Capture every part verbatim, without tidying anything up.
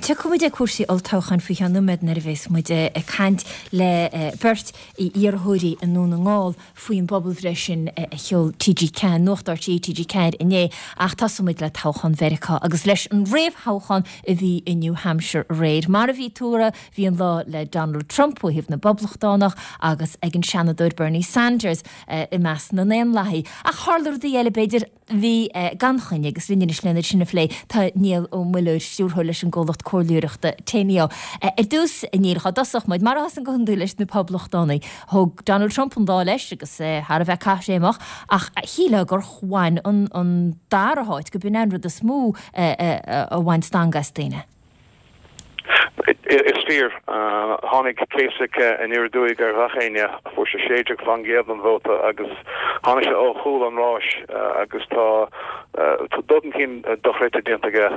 Tiocfaidh muid ag cúrsaí olltoghcháin faoi cheann nóiméad nuair a bheas muid ag caint le beirt iarrthóirí i nDún na nGall faoin bpobalbhreith sin a sheol T G ceathair, Nuacht R T É T G ceathair inné, ach tosóidh muid le toghchán Mheiriceá agus leis an réamhthoghchán a bhí i New Hampshire aréir. Mar a bhí tuartha, bhí an lá le Donald Trump ó thaobh na bPoblachtánach agus ag an Seanadóir Bernie Sanders i measc na nDaonlathaithe. Ach tharla rudaí eile b'fhéidir bhí gan choinne agus linn anois lena sin a phlé tá Niall Ó Muilleoir, stiúrthóir leis an gcomhlacht comhairleoireachta Teneo. Ar dtús, Niall, cá dtosódh muid, mar a thosaigh go hiondúil leis na Poblachtánaigh. Thóg Donald Trump an lá leis agus thar a bheith caithréimeach, ach shílfeá gur bhain an, an dara háit go b'in an rud is mó a bhain stangadh as daoine. Is fíor, tháinig Kasich aniar aduaidh ar gach éinne, fuair sé sé déag faoin gcéad den vóta agus tháinig sé ó chúl an ráis agus tá dul chun cinn dochreidte déanta aige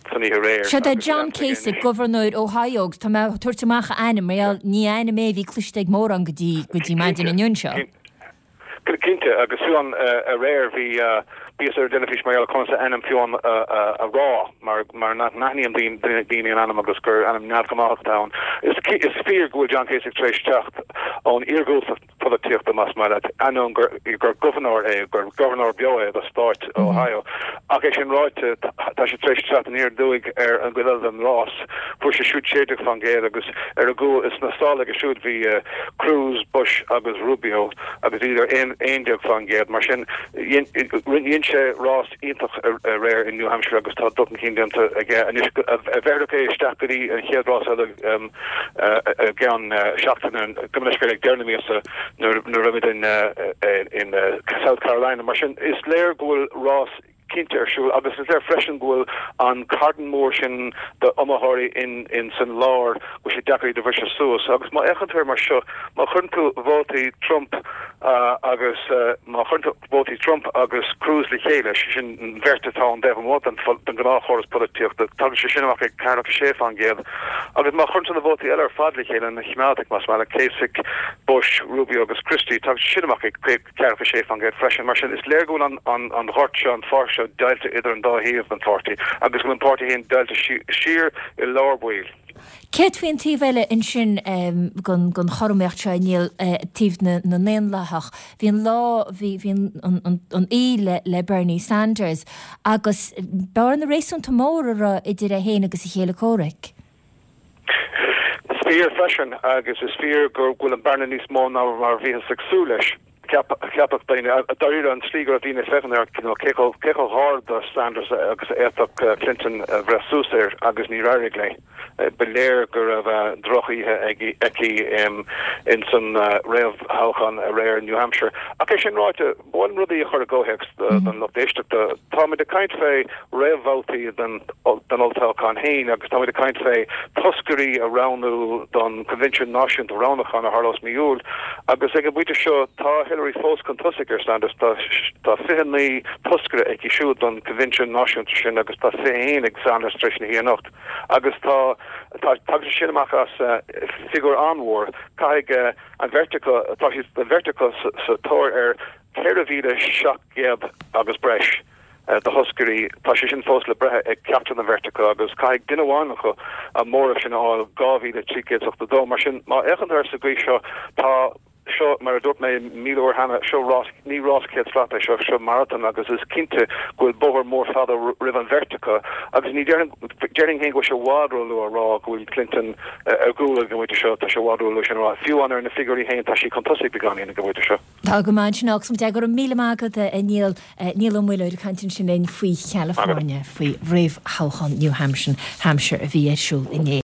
san oíche aréir. Seo é John Kasich, gobharnóir Ohio, agus tá mé ag tabhairt amach a ainm, mar ní ainm é a bhí cloiste ag mórán go dtí go dtí maidin inniu seo. Cinnte, agus fiú amháin aréir bhí bhíos ar an dteilifís mar gheall conas a ainm fiú amháin a rá mar mar nach n-aithníonn daoine an ainm agus gur ainm neamhghnách atá ann. Is is fíor go bhfuil John Kasich tar éis teacht ón iargúltacht polaitíochta, más maith leat, ainneoin gur gur gobharnóir é, gur gobharnóir beo é do stáit Ohio. Ach é sin ráite, tá sé tar éis teacht aniar aduaidh ar an gcuid eile den rás. Fuair sé siúd sé déag faoin gcéad agus ar a gcúl is na sála aige siúd bhí Cruz, Bush agus Rubio agus iad ar aon aon déag faoin gcéad. Mar sin dhein sé rás iontach aréir in New Hampshire agus tá dul chun cinn déanta aige anois a bheirfeadh é isteach go dtí an chéad rás eile i gceann seachtaine, go leis ag deireadh na míosa nuair nuair a bheimid in in South Carolina. Mar sin is léir go bhfuil rás cinnte ar siúl agus is léir freisin go bhfuil an cardan mór sin d'iomaitheoirí in in san lár go sé deacair iad a bhriseadh suas agus má fhéachann tú mar seo, má chuireann tú vótaí Trump uh, agus uh, má chuireann tú vótaí Trump agus Cruz le chéile, sin an bheirt atá an taobh amuigh den den ghnáthchóras polaitíochta, tagann sé sin amach ag ceathracha sé faoin gcéad, agus má chuireann tú na vótaí eile ar fad le chéile, na coimeádaigh más maith, Kasich, Bush, Rubio agus Christie, tagann sé sin amach ag ceathracha sé faoin gcéad freisin. Mar sin is léir go bhfuil an an an ghort seo, an pháirc seo deighilte idir an dá thaobh den pháirtí agus go bhfuil an páirtí féin deighilte siar i lár baill. Céard faoin taobh eile ansin den den chothromaíocht seo, Niall, taobh na na nDaonlathach? Bhí an lá bhí bhí an an an oíche le le Bernie Sanders agus bearna réasúnta mór a raibh idir é féin agus a chéile comhraic. Is fíor freisin agus is fíor go bhfuil an bearna níos mó ná mar bhíothas ag súil leis. Ceapadh daoine dáiríre an tslí go raibh daoine féachaint ar cé cé chomh hard do Sanders agus a fhéadfadh Clinton a bhreith suas air agus níor éirigh léi. Ba léir go raibh drochoíche aici in san réamhthoghchán aréir New Hampshire. Ach é sin ráite, b'fhiú rudaí a chur i gcomhthéacs don lucht éisteachta. Táimid ag caint fé réamhbhabhtaí den den olltoghchán féin agus táimid ag caint fé toscairí a roghnú don Convention Náisiúnta Roghnúcháin a tharlós mí Iúil agus ag an bpointe seo tá Hillary fós chun tosaigh ar Sanders. tá tá fiche naoi toscaire aici siúd don Convention Náisiúnta sin agus tá fiche haon ag Sanders tar éis na hoíche anocht agus tá tá sin amach as uh, figiúr an-mhór. Caithfidh uh, an bheirt acu, tá an bheirt acu sa tóir ar ceithre mhíle seacht gcéad agus breis uh, de thoscairí. Tá sé sin fós le breith ag ceachtar den bheirt acu agus caithfidh duine amháin acu an móramh sin a fháil, dhá mhíle trí chéad ochtó dó. Mar sin má fhéachann tú sa gcaoi seo, tá seo, mar a dúirt mé míle uair cheana, seo rás, ní rás céad slat é seo, seo marathon agus is cinnte go bhfuil bóthar mór fada roimh an bheirt acu agus ní déarfainn féin go sé i bhfad róluath a rá go bhfuil Clinton ar gcúl ag an bpointe seo. Tá sé i bhfad róluath sin rá. Fiú amháin ar na figiúirí féin tá sí chun tosaigh beagáinín ag an bpointe seo. Tá go maith sin agus de go míle maith agat, a Niall. Niall Ó Muilleoir ag caint ansin linn faoi California, faoi réamhthoghchán New Hampshire Hampshire a bhí ar siúl inné.